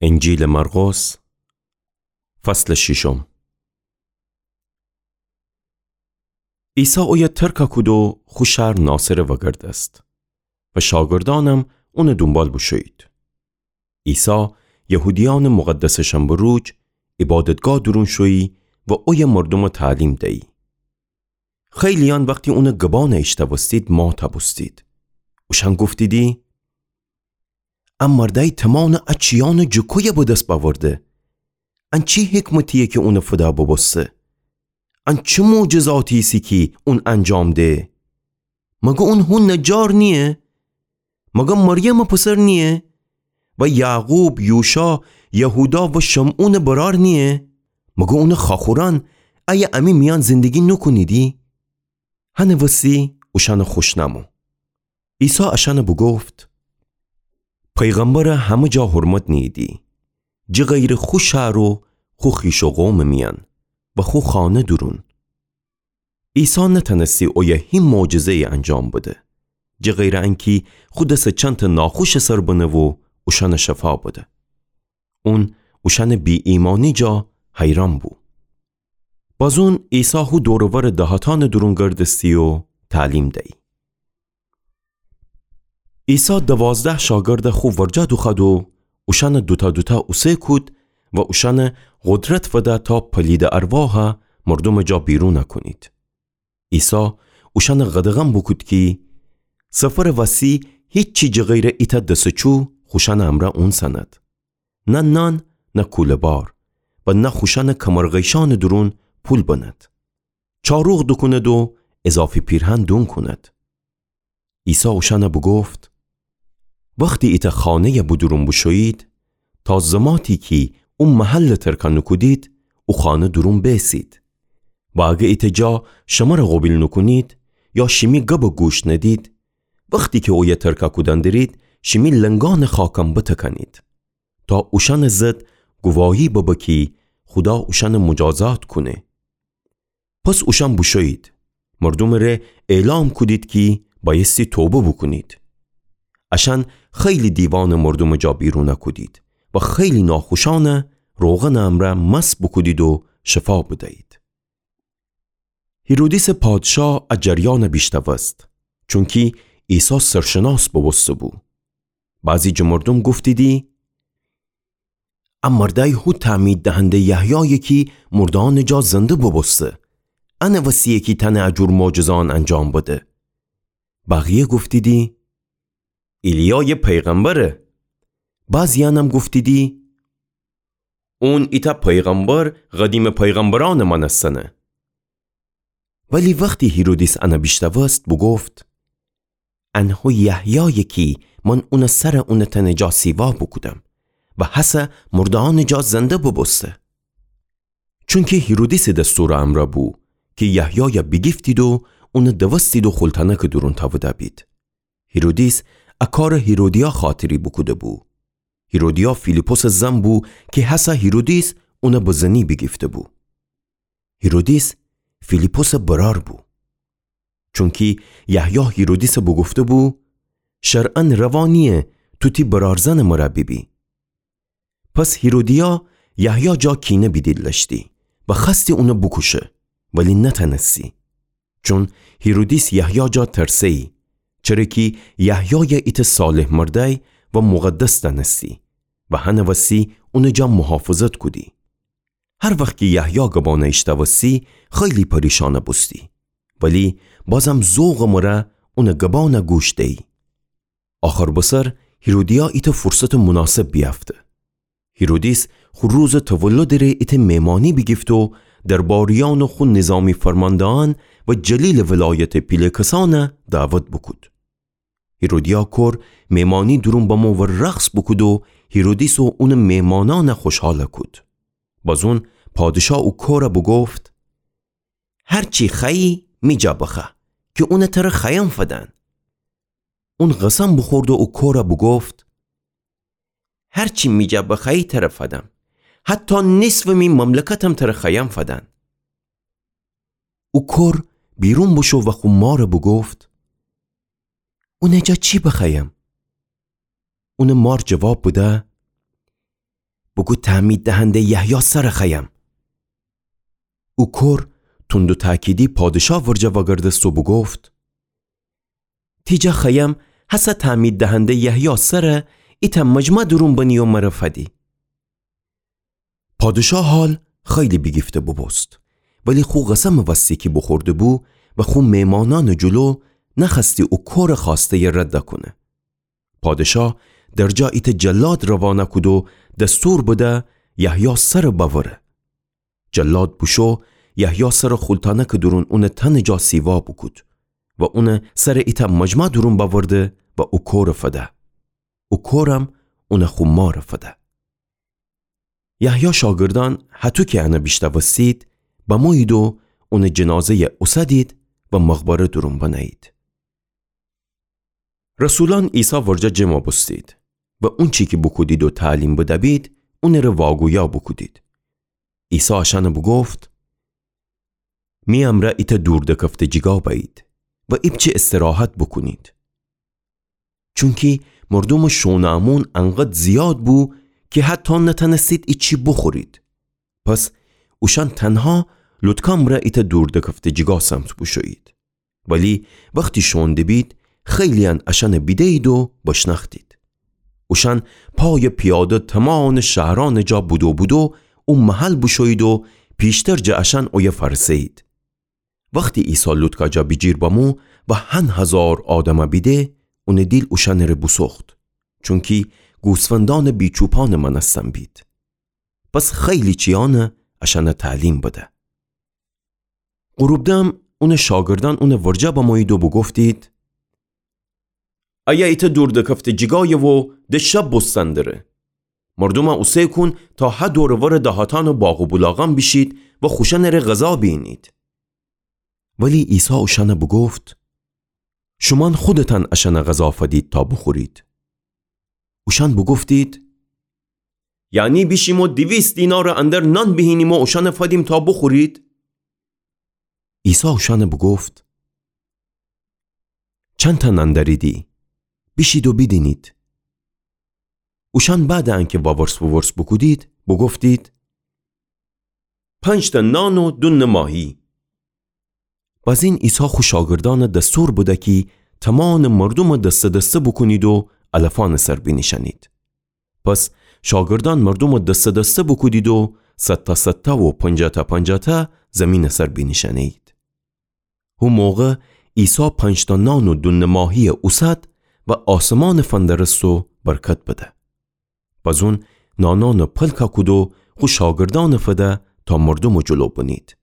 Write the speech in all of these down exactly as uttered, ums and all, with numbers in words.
انجیلٚ مرقس، فصلٚ ششم. عیسی اویه ترکَ کود و خو شهر ناصره وگردست و شاگردأنم اونٚ دونبال بوشویید. عیسی یهودیأنٚ مقدسٚ شنبه روج عبادتگاه دورون شویی و اویه مردومَ تعلیم دیی. خیلییأن وختی اونٚ گبأنَ ایشتأوستید ماتَ بوستید. اوشأن گفتیدی: ا مردأی تمانٚ ا چیأنَ جٚه کویه به دس بأورده؟ ان چی حکمتییه کی اونٚ فدا بوبوسته؟ ان چی معجزاتی ایسه کی اون انجام ده؟ مگر اون هو نجار نییه؟ مگر مریمٚ پسر نییه؟ و یعقوب، یوشا، یهودا و شمعونٚ برأر نییه؟ مگر اونٚ خواخورأن ایه امی میأن زندگی نوکونیدی؟ هنٚ وسی اوشأنَ خوش نأمو. عیسی اشأنَ بوگفت: پیغمبرَ همه جا حرمت نیییدی، جٚه غیرٚ خو شهر و خو خویش و قومٚ میأن و خو خانه دورون. عیسی نتأنستی اویه هیچ معجزه‌یی انجام بده، جٚه غیرٚ انکی خو دسَ چندتأ ناخوشٚ سر بنه و اوشأنَ شفا بده. اون اوشأنٚ بی‌ایمأنی جا حیرأن بو. بازون عیسی هو دور و ورٚ دهاتأنٚ دورون گردستی و تعلیم دیی. عیسی دوازده شاگردَ خو ورجه دوخوأد و اوشأنَ دوتأ دوتأ اوسه کود و اوشأنَ قدرت فده تا پلیدٚ ارواحَ مردومٚ جا بیرونَ کونید. عیسی اوشأنَ قدغن بوکود کی سفرٚ وسی هیچی جٚه غیرٚ ایتأ دسٚ چو خوشأنٚ امرأ اونسأند. نه نان، نه کوله‌بار و نه خوشأنٚ کمرغیشأنٚ دورون پول بنید. چاروق دوکوند و اضافی پیرهن دون کوند. عیسی اوشأنَ بوگفت: وختی ایتأ خانه‌یَ بودورون بوشویید، تا زماتی کی او محلَ ترکَ نوکودید، او خانه دورون بیسید. و اگر ایتأ جا شمرَ قوبیل نوکونید یا شیمی گبَ گوش ندید، وختی کی اویه ترکَ کودن درید، شیمی لنگأنٚ خاکم بتکأنید، تا اوشأنٚ ضد گواهی ببه کی خودا اوشأنَ مجازات کونه. پس اوشأن بوشویید، مردومٚ ره اعلام کودید کی بأیستی توبه بوکونید. اشأن خیلی دیوانٚ مردومٚ جا بیرونَ کودید و خیلی ناخوشأنَ روغنٚ امرأ مست بوکودید و شفا بدیید. هیرودیسٚ پادشاه ا جریانَ بیشنوست، چونکی عیسی سرشناس بوبوسته‌بو. بعضی جٚه مردوم گفتیدی: ا مردأی هو تعمید دهنده‌یٚ یحیایه کی مرده‌یأنٚ جا زنده بوبوسته. انٚ وسییه کی تأنه ا جور معجزه‌یأن انجام بده. بقیه گفتیدی: ایلیایٚ پیغمبره. بعضییأنم گفتیدی: اون ایتأ پیغمبر قدیمٚ پیغمبرأنٚ مأنستنه. ولی وختی هیرودیس انَ بیشنوست، بوگفت: ان هو یحیایه کی من اونٚ سرَ اونٚ تأنٚ جا سیوا بوکودم و هسه مرده‌یأنٚ جا زنده بوبوسته. چونکی هیرودیسٚ دستورٚ امرأ بو کی یحیایَ بیگیفتید و اونَ دوستید و خلتأنکٚ دورون تأودأ بید. هیرودیس ا کارَ هیرودیا خاطری بوکوده‌بو. هیرودیا فیلیپسٚ زن بو کی هسه هیرودیس اونَ به زنی بیگیفته‌بو. هیرودیس فیلیپسٚ برأر بو. چونکی یحیی هیرودیسَ بوگفته‌بو: شرعاً روا نییه تو تی برأرزنٚ مرأ بیبی. پس هیرودیا یحیی جا کینه بیدیلشتی و خوأستی اونَ بوکوشه، ولی نتأنستی. چون هیرودیس یحیی جا ترسه‌یی، چره کی یحیایَ ایتأ صالح مردأی و مقدس دأنستی و هنٚ وسی اونٚ جا محافظت کودی. هر وخت کی یحیی گبأنَ ایشتأوستی، خیلی پریشانَ بوستی، ولی بازم ذوقٚ مرأ اونٚ گبأنَ گوش دیی. آخر بسر هیرودیا ایتأ فرصتٚ مناسب بیأفته. هیرودیس خو روزٚ تولدٚ ره ایتأ مهمانی بیگیفته و درباریأن و خو نظامی فرمانده‌یأن و جلیلٚ ولایتٚ پیله کسأنَ دعوت بوکود. هیرودیا کور مهمانی دورون بمو و رقص بوکود و هیرودیس و اونٚ مهمانأنَ خوشحالَ کود. بازون پادشا او کورَ بوگفت: هر چی خوأیی می جا بخوأ، کی اونَ ترَ خوأیم فدن. اون قسم بوخورد و او کورَ بوگفت: هر چی می جا بخوأیی ترَ فدم، حتی نصفٚ می مملکتم ترَ خوأیم فدن. او کور بیرون بوشو و خو مارَ بوگفت: اونٚ جا چی بخوأیم؟ اونٚ مار جواب بده: بوگو تعمید دهنده یحیی سر خوأیم. او کور تند و تأکیدی پادشا ورجه وگردست و بوگفت: تی جا خوأیم هسه تعمید دهنده یحیی سر ایتأ مجمع دورون بنی و مر فدی. پادشا حال خیلی بیگیفته بوبوست، ولی خو قسم وستی کی بوخورده بو و خو میمانأنٚ جلو نخوأستی او کورٚ خوأسته‌یه رد کونه. پادشا درجا ایتأ جلاد روانه کود و دستور بده یحیی سر بأوره. جلاد بوشو، یحیی سر خولتأنکٚ دورون اونٚ تنٚ جا سیوا بوکود و اونٚ سر ایتأ مجمع دورون بأورده و او کورٚ فده. او کورم اونٚ خو مارٚ فده. یحیی شاگردأن هطو کی انه بیشنوستید، بمویید و اونٚ جنازه‌یه اوسدید و مقبره دورون بنه‌یید. رسولأن عیسی ورجه جمع بوستید و اونچی کی بوکودید و تعلیم بده‌بید، اونٚره واگویا بوکودید. عیسی اشأنه بوگفت: می امرأ ایتأ دور دکفته جیگا بأیید و ایپچه استراحت بوکونید. چونکی مردومٚ شوئونٚ امون انقدر زیاد بو کی حتی نتأنستید ایچی بوخورید. پس اوشأن تنها لوطکا مرأ ایتأ دور دکفته جیگا سمت بوشویید. ولی وختی شوئون دبید، خیلییأن اشأنه بیده‌یید و بشنأختید. اوشأن پای پیاده تمانٚ شهرأنٚ جا بودو بودو او محل بوشویید و پیشتر جٚه اشأن اویه فأرسه‌یید. وختی عیسی لوطکا جا بیجیر بمو و هن هزار آدمه بیده، اونٚ دیل اوشأنٚره بوسوخت، چونکی گوسفندأنٚ بی‌چوپانٚ مأنستن بید. پس خیلی چییأنه اشأنه تعلیم بده. غروب دم اونٚ شاگردأن اونٚ ورجه بمویید و بوگفتید: ایه ایتأ دور دکفته جیگایه و ده شب بوستن دره. مردومه اوسه کون تا هه دور و ورٚ دهاتأن و باغ و بولاغأن بیشید و خوشأنٚره غذا بیینید. ولی عیسی اوشأنه بوگفت: شومأن خودتأن اشأنه غذا فدید تا بوخورید. اوشأن بوگفتید: یعنی بیشیم و دیویست دینارٚ اندر نان بیهینیم و اوشأنه فدیم تا بوخورید؟ عیسی اوشأنه بوگفت: چندتأ نان دأریدی؟ بیشید و بیدینید. اوشأن بعدٚ انکه وورس وورس بوکودید، بوگفتید: پنج‌تأ نان و دو نماهی. بزین عیسی خو شاگردأنه دستور بده کی تمانٚ مردومه دسته دسته بوکونید و علفأنٚ سر بینیشأنید. پس شاگردأن مردومه دسته دسته بوکودید و صدتأ صدتأ و پنجاه‌تأ پنجاه‌تأ زیمینٚ سر بینیشأنه‌یید. هو موقع عیسی پنج‌تأ نان و دو نماهیی اوسد و آسمانٚ فندرست و برکت بده. بزون نانأنه پلکه کود و خو شاگردأنه فده تا مردومٚ جلو بنید.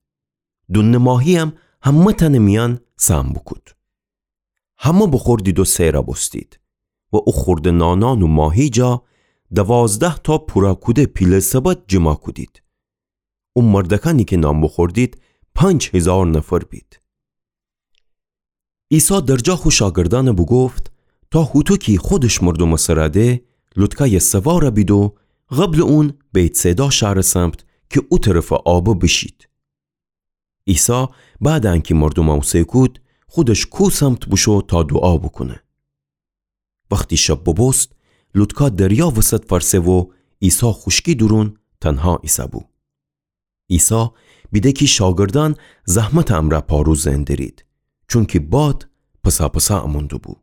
دو نماهییم همه‌تأنٚ میأن سهم بوکود. همه بوخوردید و سئر بوستید و او خورده نانأن و ماهی جا دوازده‌تأ پوره کوده پیله سبد جیما کودید. او مردأکأنی کی نان بوخوردید، پنج هیزار نفر بید. عیسی درجا خو شاگردأنه بوگفت تا هوطو کی خودش مردومٚ سر ده، لوطکایٚ سوار بید و قبلٚ اون بیت‌صیدا شهرٚ سمت کی او طرفٚ آبه بیشید. عیسی بعدٚ انکی مردومه اوسه کود، خودش کو سمت بوشو تا دوعا بوکونه. وختی شب بوبوست، لوطکا دریا وسط فأرسه و عیسی خوشکی دورون تنها ایسه‌بو. عیسی بیده کی شاگردأن زحمتٚ امرأ پارو زئن درید، چونکی باد پسا پسا امون دوبو.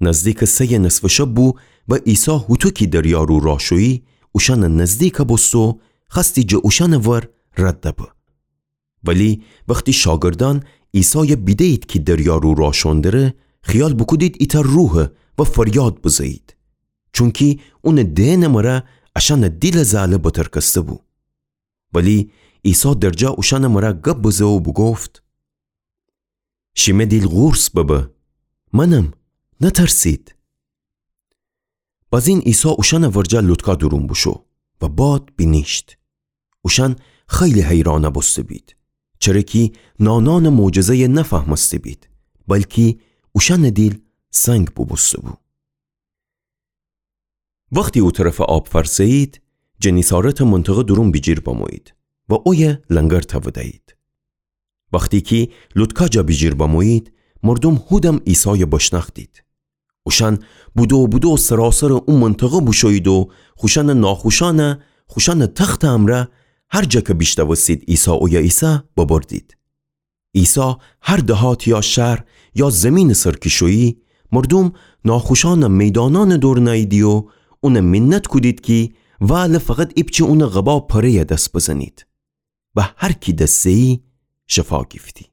نزدیکٚ سه‌یٚ نصفٚ شب بو و عیسی هوطو کی دریا رو راه شویی، اوشأنٚ نزدیک بوست و خوأستی جٚه اوشأنٚ ور رد به. ولی وختی شاگردأن عیسای بیده‌یید کی دریا رو راه شون دره، خیال بوکودید ایتأ روحه و فریاد بزه‌یید، چونکی اونٚ دئنٚ مره اشأنٚ دیلٚ زأله بترکسته‌بو. ولی عیسی درجا اوشأنٚ مره گب بزه و بوگفت: شیمه دیل قورص ببه، منم، نترسید. بزین عیسی اوشأنٚ ورجه لوطکا دورون بوشو و باد بینیشت. اوشأن خیلی حیران بوسته‌بید، چره کی نانأنٚ معجزه‌یه نفهمسته‌بید، بلکی اوشأنٚ دیل سنگ بوبوسته‌بو. وختی او طرفٚ آب فأرسه‌یید، گنیسارتٚ منطقه دورون بیجیر بمویید و اویه لنگر توده‌یید. وختی کی لوطکا جا بیجیر بمویید، مردوم هودم عیسای بشنأختید. اوشأن بودو بودو سراسرٚ او منطقه بوشویید و خوشأنٚ ناخوشأنَ خوشأنٚ تختٚ امرأ هر جا کی بیشنوستید عیسی اویه ایسه ببردید. عیسی هر دهات یا شهر یا زیمینٚ سر کی شویی، مردوم ناخوشأنَ میدانأنٚ دور نییدی و اونَ مینت کودید کی وئاله فقط ایپچه اونٚ قبا پره‌یَ دس بزنید. و هر کی دس زه‌یی شفا گیفتی.